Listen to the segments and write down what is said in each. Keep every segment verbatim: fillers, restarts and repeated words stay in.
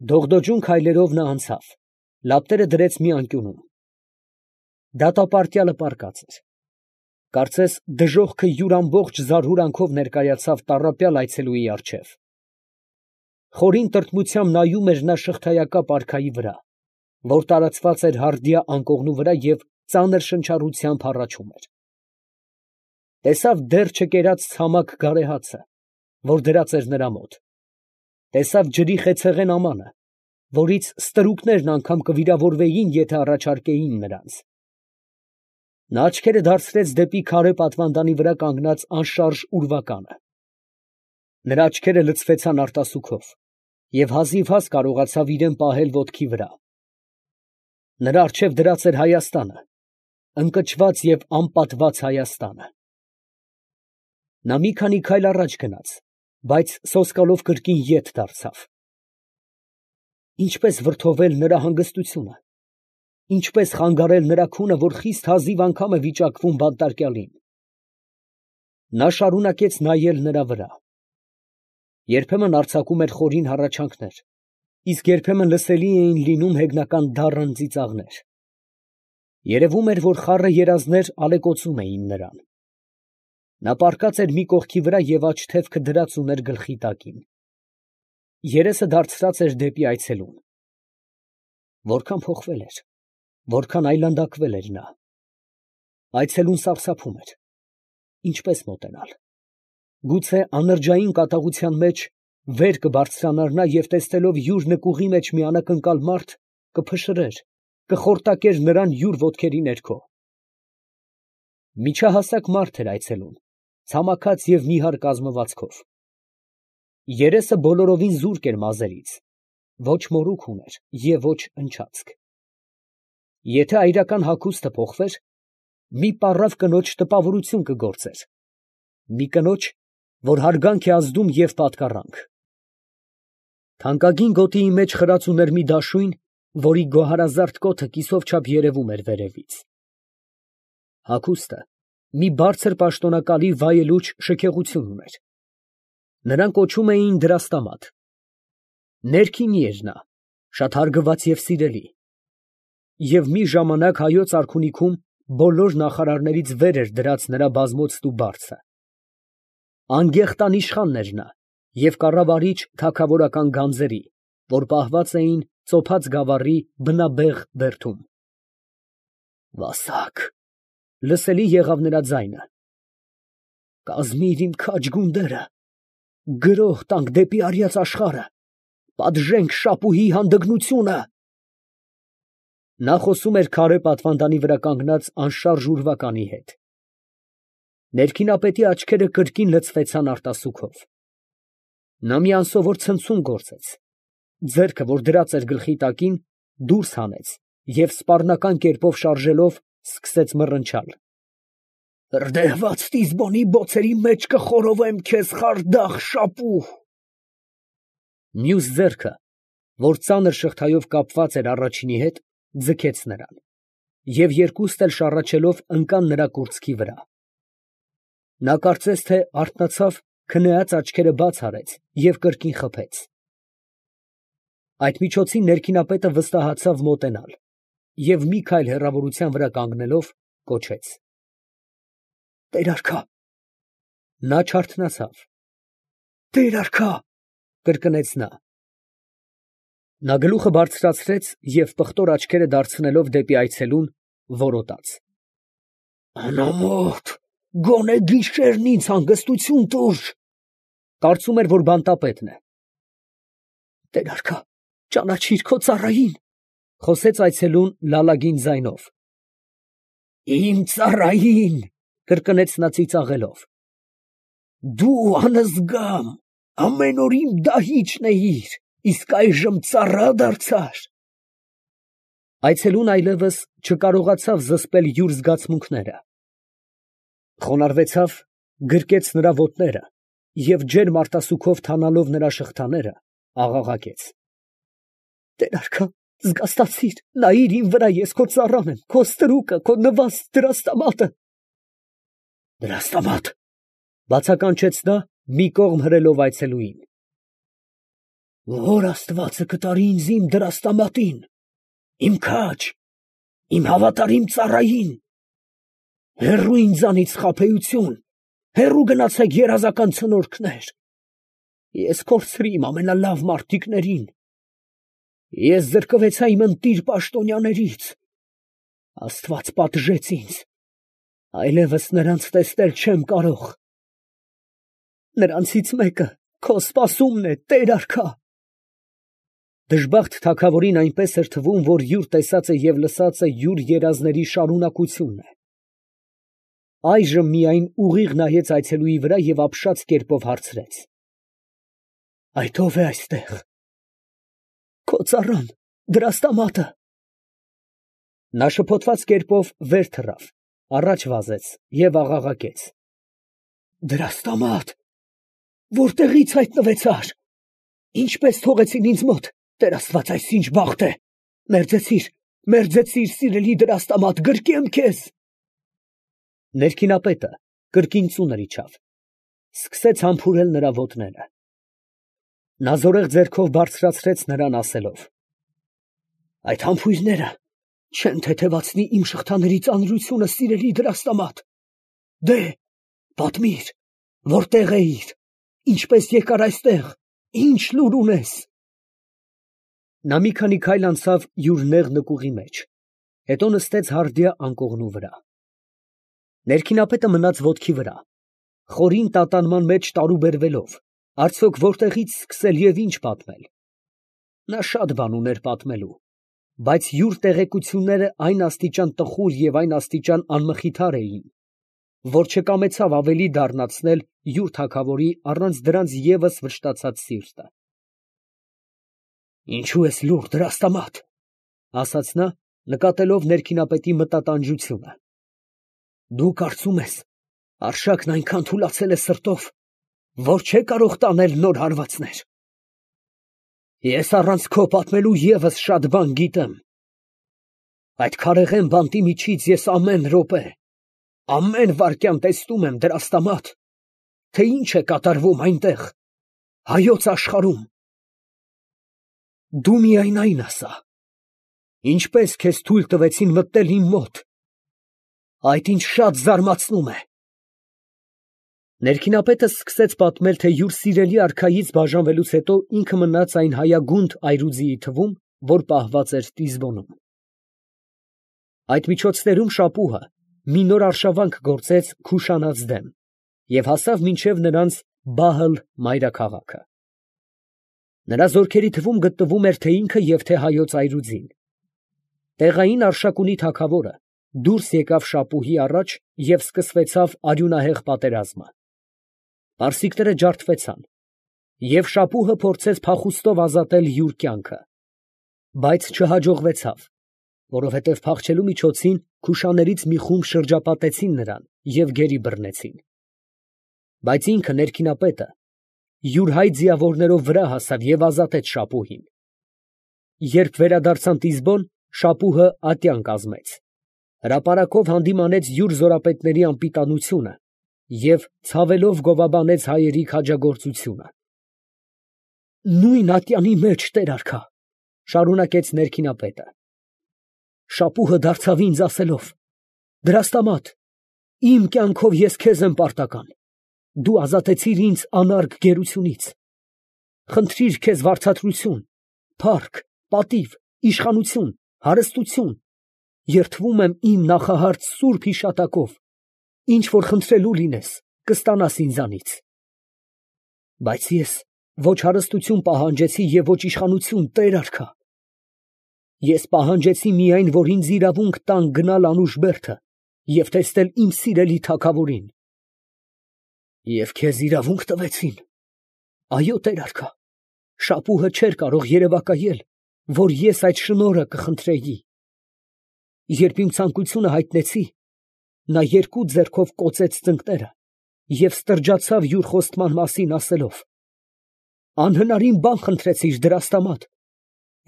Դողդոջուն քայլերով նա անցավ, լապտերը դրեց մի անկյունում. դատապարտյալը պառկած էր, կարծես դժոխքը յուր ամբողջ զարհուրանքով ներկայացավ տառապյալ այցելուի առջև. խորին տրտմությամբ նայում էր նա շղթայակապ արքայի վրա, որ տարածված էր հարդիա անկողնու վրա և ծանր շնչառությամբ հառաչում էր. տեսավ դեռ չկերած ցամաք գարեհացը, որ դրած էր նրա մոտ, տեսավ ջրի խեցեղեն ամանը, որից ստրուկներն անգամ կվիրավորվեին, եթե առաջարկեին նրանց. նա աչքերը դարձրեց դեպի քարե պատվանդանի վրա կանգնած անշարժ ուրվականը. նրա աչքերը լցվեցան արտասուքով, և հազիվհազ կարողացավ իրան պահել ոտքի վրա. նրա առջև դրած էր Հայաստանը, ընկճված և անպատված Հայաստանը. նա մի քանի քայլ առաջ գնաց, բայց սոսկալով կրկին ետ դարձավ. ինչպե՞ս վրդովել նրա հանգստությունը, ինչպե՞ս խանգարել նրա քունը, որ խիստ հազիվ անգամ է վիճակվում բանտարկյալին. նա շարունակեց նայել նրա վրա. երբեմն արձակում էր խորին հառաչանքներ, իսկ երբեմն լսելի էին լինում հեգնական դառն ծիծաղներ. երևում էր, որ խառը երազներ ալեկոծում էին նրան. նա պառկած էր մի կողքի վրա և աջ թևքը դրած ուներ գլխի տակին. երեսը դարձրած էր դեպի այցելուն. որքան փոխվել էր, որքան այլանդակվել էր նա. այցելուն սարսափում էր. ինչպե՞ս մոտենալ. գուցե անրջային կատաղության մեջ վեր կբարձրանար նա և տեսնելով յուր նկուղի մեջ մի անակնկալ մարդ, կփշրեր, կխորտակեր նրան յուր ոտքերի ներքո. միջահասակ մարդ էր այցելուն, ցամաքած և նիհար կազմվածքով. երեսը բոլորովին զուրկ էր մազերից, ոչ մորուք ուներ և ոչ ընչացք. եթե այրական հագուստը փոխվեր, մի պառավ կնոջ տպավորություն կգործեր, մի կնոջ, որ հարգանք է ազդում և պատկառանք. թանկագին գոտիի մեջ խրած ուներ մի դաշույն, որի գոհարազարդ կոթը կիսով չափ երևում էր վերևից. հագուստը մի բարձր պաշտոնակալի վայելուչ շքեղություն ուներ. նրան կոչում էին դրաստամատ. ներքինի էր նա, շատ հարգված և սիրելի, և մի ժամանակ հայոց արքունիքում բոլոր նախարարներից վեր էր դրած նրա բազմոցն ու բարձը. անգեղտ անիշխանն էր նա և կառավարիչ թագավորական գանձերի, որ պահված էին ծոփած գավառի բնաբեղ բերդում. «Վասակ», լսելի եղավ նրա ձայնը, «կազմիր իմ քաջ գունդերը, գրոհ տանք դեպի արյաց աշխարհը, պատժենք Շապուհի հանդգնությունը»։ Նա խոսում էր քարե պատվանդանի վրա կանգնած անշարժ ուրվականի հետ. ներքինապետի աչքերը կրկին լցվեցան արտասուքով. նա մի անսովոր ցնցում գործեց, ձեռքը, որ դրած էր գլխի տակին, դուրս հանեց և սպառնական կերպով շարժելով, սկսեց մռնչալ. «Հրդեհված Տիզբոնի բոցերի մեջ կխորովեմ քեզ, խարդախ Շապուհ»։ Մյուս ձեռքը, որ ծանր շղթայով կապված էր առաջինի հետ, ձգեց նրան, և երկուստ էլ շառաչելով ընկան նրա կուրծքի վրա. նա կարծես թե արթնացավ, քնեած աչքերը բաց արեց և կրկին խփեց. այդ միջոցին ներքինապետը վստահացավ մոտենալ և մի քայլ հեռավորության վրա կանգնելով, կոչեց. «Տեր֊արքա»։ նա չարթնացավ. «Տեր֊արքա», կրկնեց նա. նա գլուխը բարձրացրեց և պղտոր աչքերը դարձնելով դեպի այցելուն, որոտաց. «Անամոթ, գոնե գիշերն ինձ հանգստություն տուր»։ կարծում էր, որ բանտապետն է. «Տեր֊արքա, ճանաչիր քո ծառային», խոսեց այցելուն լալագին ձայնով. «Իմ ծառային», կրկնեց նա ծիծաղելով, «դու անզգամ, ամեն օր իմ դահիճն էիր, իսկ այժմ ծառա դարձար»։ Այցելուն այլևս չկարողացավ զսպել յուր զգացմունքները. խոնարհվեցավ, գրկեց նրա ոտները և ջերմ արտասուքով թանալով նրա շղթաները, աղաղակեց. «Տեր֊արքա, զգաստացիր, նայիր իմ վրա, ես քո ծառան եմ, քո ստրուկը, քո նվաստ դրաստամատը»։ «Դրաստամա՞տ», բացականչեց նա, մի կողմ հրելով այցելուին։ Որ Աստվածը կտարի ինձ իմ դրաստամատին, իմ քաջ, իմ հավատարիմ ծառային, հեռու ինձանից խաբեություն, հեռու գնացեք երազական ցնորքներ, ես կորցրի իմ ամենալավ մարդիկներին, ես զրկվեցա իմ ընտիր պաշտոնյաներից, Աստված պատժեց ինձ, այլևս նրանց տեսնել չեմ կարող, նրանցից մեկը քո սպասումն է, Տեր արքա։ Դժբախտ թագավորին այնպես էր թվում, որ յուր տեսածը և լսածը յուր երազների շարունակությունն է։ Այժմ միայն ուղիղ նայեց այցելուի վրա և ապշած կերպով հարցրեց. Այդ ո՞վ է այստեղ։ Քո ծառան, դրաստամատը։ Նա շփոթված կերպով վեր թռավ, առաջ վազեց և աղաղակեց. Դրաստամատ, որտեղի՞ց հայտնվեցար։ Ինչպես թողեցին ինձ մոտ, Տեր Աստված, այս ինչ բախտ է։ Մերձեցիր, մերձեցիր, սիրելի դրաստամատ, գրկեմ քեզ։ Ներքինապետը կրկին ծունր իջավ, սկսեց համբուրել նրա ոտները։ Նա զորեղ ձեռքով բարձրացրեց նրան, ասելով. Այդ համբույրները չեն թեթևացնի իմ շղթաների ծանրությունը, սիրելի դրաստամատ։ Դե, պատմիր, որտեղ էիր, ինչպես եկար այստեղ, ինչ լուր ունես։ Նա մի քանի քայլ անցավ յուր նեղ նկուղի մեջ, հետո նստեց հարդյա անկողնու վրա։ Ներքինապետը մնաց ոտքի վրա, խորին տատանման մեջ տարուբերվելով, արդյոք որտեղից սկսել և ինչ պատմել։ Նա շատ բան ուներ պատմելու, բայց յուր տեղեկությունները այն աստիճան տխուր և այն աստիճան անմխիթար էին, որ չկամեցավ ավելի դառնացնել յուր թագավորի առանց դրանց ևս վշտացած սիրտը։ Ինչո՞ւ ես լուռ, դրաստամատ, ասաց նա, նկատելով ներքինապետի մտատանջությունը։ Դու կարծում ես, արշակն այնքան թուլացել է սրտով, որ չէ կարող տանել նոր հարվածներ։ Ես առանց քո պատմելու ևս շատ բան գիտեմ։ Այդ քարեղեն բանտի միջից ես ամեն րոպե, ամեն վայրկյան տեսնում եմ, դրաստամատ, թե ինչ է կատարվում այնտեղ, հայոց աշխարհում։ Դու միայն այն ասա, ինչպես քեզ թույլ տվեցին մտնել իմ մոտ, այդ ինձ շատ զարմացնում է։ Ներքինապետը սկսեց պատմել, թե յուր սիրելի արքայից բաժանվելուց հետո ինքը մնաց այն հայագունդ այրուձիի թվում, որ պահված էր Տիզբոնում։ Այդ միջոցներում շապուհը մի նոր արշավանք գործեց Քուշանած դեմ և հասավ մինչև նրանց Բահլ մայրաքաղաքը։ Նրա զորքերի թվում գտնվում էր թե ինքը և թե հայոց այրուձին։ Տեղային արշակունի թագավորը դուրս եկավ շապուհի առաջ և սկսվեցավ արյունահեղ պատերազմը։ Պարսիկները ջարդվեցան, և շապուհը փորձեց փախուստով ազատել յուր կյանքը, բայց չհաջողվեցավ, որովհետև փախչելու միջոցին քուշաներից մի խումբ շրջապատեցին նրան և գերի բռնեցին։ Բայց ինքը, ներքինապետը, յուր հայ ձիավորներով վրա հասավ և ազատեց շապուհին։ Երբ վերադարձան Տիզբոն, շապուհը ատյան կազմեց, հրապարակով հանդիմանեց յուր զորապետների անպիտանությունը և ցավելով գովաբանեց հայերի քաջագործությունը։ Նույն ատյանի մեջ, Տեր արքա, շարունակեց ներքինապետը, շապուհը դարձավ ինձ ասելով. դրաստամատ, իմ կյանքով ես քեզ եմ պարտական, դու ազատեցիր ինձ անարգ գերությունից, խնդրիր քեզ վարձատրություն, փառք, պատիվ, իշխանություն, հարստություն, երդվում եմ իմ նախահարց սուրբ հիշատակով, ինչ որ խնդրելու լինես, կստանաս ինձանից։ Բայց ես ոչ հարստություն պահանջեցի և ոչ իշխանություն, Տեր արքա։ Ես պահանջեցի միայն, որ ինձ իրավունք տան գնալ Անուշբերդը և տեսնել իմ սիրելի թագավորին։ Եվ քեզ իրավունք տվեցին։ Այո, Տեր արքա, շապուհը չէր կարող երևակայել, որ ես այդ շնորհը կխնդրեի։ Երբ իմ ցանկությունը հայտնեցի, նա երկու ձեռքով կոծեց ծնկները և ստրջացավ յուր խոստման մասին, ասելով. անհնարին բան խնդրեցիր, դրաստամատ,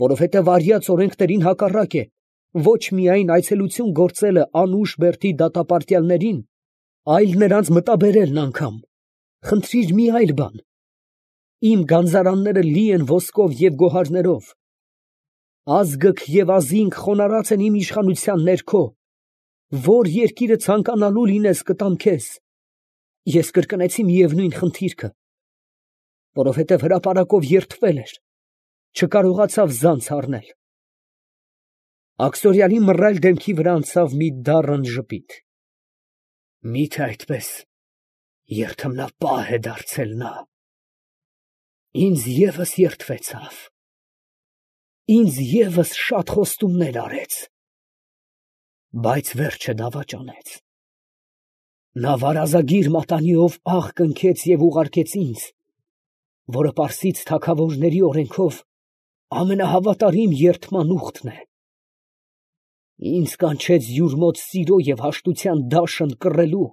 որովհետև արյաց օրենքներին հակառակ է ոչ միայն այցելություն գործելը Անուշբերդի դատապարտյալներին, այլ նրանց մտաբերելն անգամ, խնդրիր մի այլ բան, իմ գանձարանները լի են ոսկով և գոհարներով, ազգք և ազինք խոնարհած են իմ իշխանության ներքո, որ երկիրը ցանկանալու լինես կտամ քեզ։ Ես կրկնեցի միևնույն խնդիրքը, որովհետև հրապարակով երդվել էր, չկարողացավ ձանց առնել։ Աքսորյանի մռայլ դեմքի վրա անցավ մի դառն ժպիտ։ Մի՞թե այդպես երդմնապահ է դարձել նա։ Ինձ ևս երդվեցավ, ինձ ևս շատ խոստումներ արեց, բայց վերջը դավաճանեց։ Նա վարազագիր մատանիով աղ կնքեց և ուղարկեց ինձ, որը պարսից թագավորների օրենքով ամենահավատարիմ երդման ուխտն է։ Ինձ կանչեց յուր մոտ սիրո և հաշտության դաշն կռելու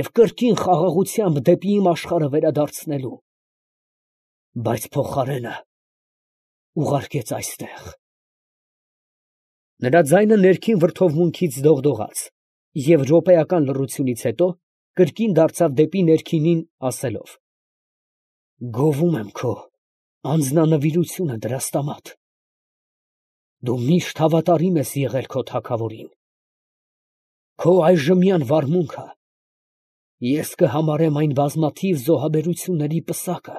և կրկին խաղաղությամբ դեպի իմ աշխարհը վերադարձնելու, բայց փոխարենը ուղարկեց այստեղ։ Նրա ձայնը ներքին վրդովմունքից դողդողաց և րոպեական լռությունից հետո կրկին դարձավ դեպի ներքինին, ասելով. «Գովում եմ քո անձնանվիրությունը, Դրաստամատ. դու միշտ հավատարիմ ես եղել քո թագավորին. քո այժմյան վարմունքը ես կհամարեմ այն բազմաթիվ զոհաբերությունների պսակը,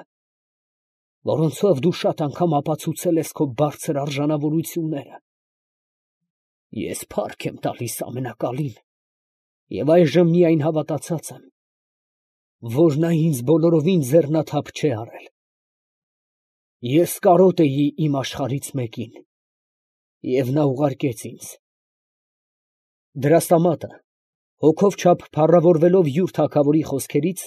որոնցով դու շատ անգամ ապացուցել ես քո բարձր արժանավորությունները։ Ես փառք եմ տալիս Ամենակալին և այժմ միայն հավատացած եմ, որ նա ինձ բոլորովին ձեռնաթափ չէ արել։ Ես կարոտ էի իմ աշխարհից մեկին, և նա ուղարկեց ինձ»։ Դրաստամատը, հոգով չափ փառավորվելով յուր թագավորի խոսքերից,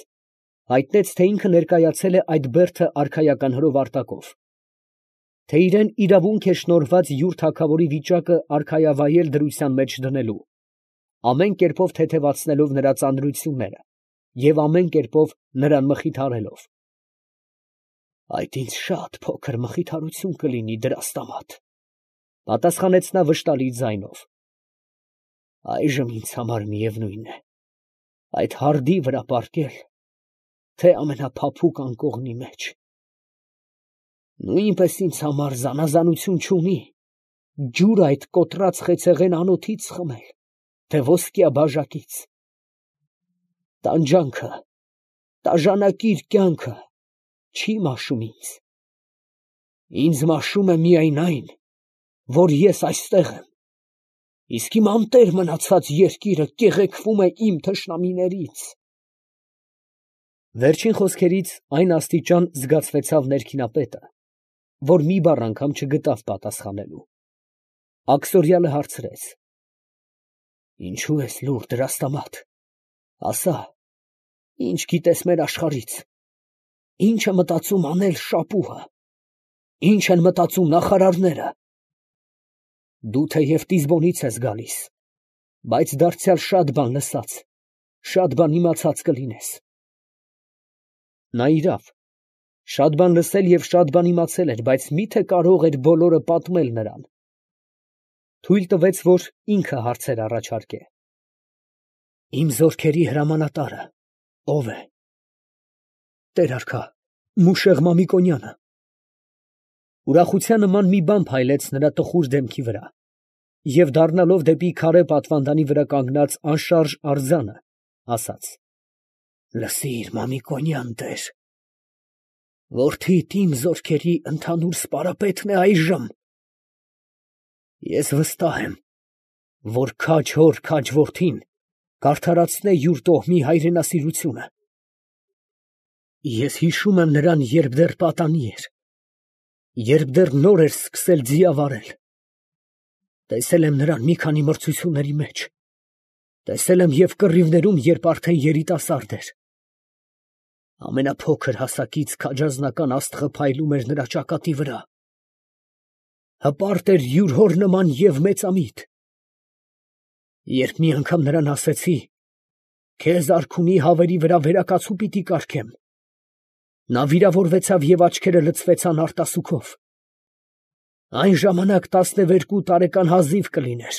հայտնեց, թե ինքը ներկայացել է այդ բերդը արքայական հրովարտակով, թե իրան իրավունք է շնորհված յուր թագավորի վիճակը արքայավայել դրության մեջ դնելու, ամեն կերպով թեթևացնելով նրա ծանրությունները և ամեն կերպով նրան մխիթարելով։ «Այդ ինձ շատ փոքր մխիթարություն կլինի, Դրաստամատ», ֊ պատասխանեց նա վշտալի ձայնով։ «Այժմ ինձ համար միևնույն է, այդ հարդի վրա պառկել, թե ամենափափուկ անկողնի մեջ։ Նույնպես ինձ համար զանազանություն չունի ջուրը այդ կոտրած խեցեղեն անոթից խմել, թե ոսկյա բաժակից։ Տանջանքը, տաժանակիր կյանքը չի մաշում ինձ։ Ինձ մաշում է միայն այն, որ ես այստեղ եմ, իսկ իմ անտեր մնացած երկիրը կեղեքվում է իմ թշնամիներից»։ Վերջին խոսքերից այն աստիճան զգացվեցավ ներքինապետը, որ մի բառ անգամ չգտավ պատասխանելու։ Աքսորյալը հարցրեց. «Ինչո՞ւ ես լուռ, Դրաստամատ, ասա, ի՞նչ գիտես մեր աշխարհից, ի՞նչ է մտածում անել Շապուհը, ի՞նչ են մտածում նախարարները։ Դու թեև Տիզբոնից ես գալիս, բայց դարձյալ շատ բան լսած, շատ բան իմացած կլինես»։ Նա իրավ, շատ բան լսել և շատ բան իմացել էր, բայց մի՞թե կարող էր բոլորը պատմել նրան։ Թույլ տվեց, որ ինքը հարցեր առաջարկե։ «Իմ զորքերի հրամանատարը ո՞վ է»։ «Տեր֊արքա, Մուշեղ Մամիկոնյանը»։ Ուրախության նման մի բան փայլեց նրա տխուր դեմքի վրա, և դառնալով դեպի քարե պատվանդանի վրա կանգնած անշարժ արձանը, ասաց. «Լսիր, Մամիկոնյան տեր, որդիդ իմ զորքերի ընդհանուր սպարապետն է այժմ։ Ես վստահ եմ, որ քաջ հոր քաջ որդին կարդարացնե յուր տոհմի հայրենասիրությունը։ Ես հիշում եմ նրան, երբ դեռ պատանի էր, երբ դեռ նոր էր սկսել ձիավարել. տեսել եմ նրան մի քանի մրցությունների մեջ, տեսել եմ և կռիվներում, երբ արդեն երիտասարդ էր։ Ամենափոքր հասակից քաջազնական աստղը փայլում էր նրա ճակատի վրա, հպարտ էր յուր հոր նման և մեծամիտ։ Երբ մի անգամ նրան ասեցի. «Քեզ արքունի հավերի վրա վերակացու պիտի կարգեմ», նա վիրավորվեցավ և աչքերը լցվեցան արտասուքով։ Այն ժամանակ տասնևերկու տարեկան հազիվ կլիներ։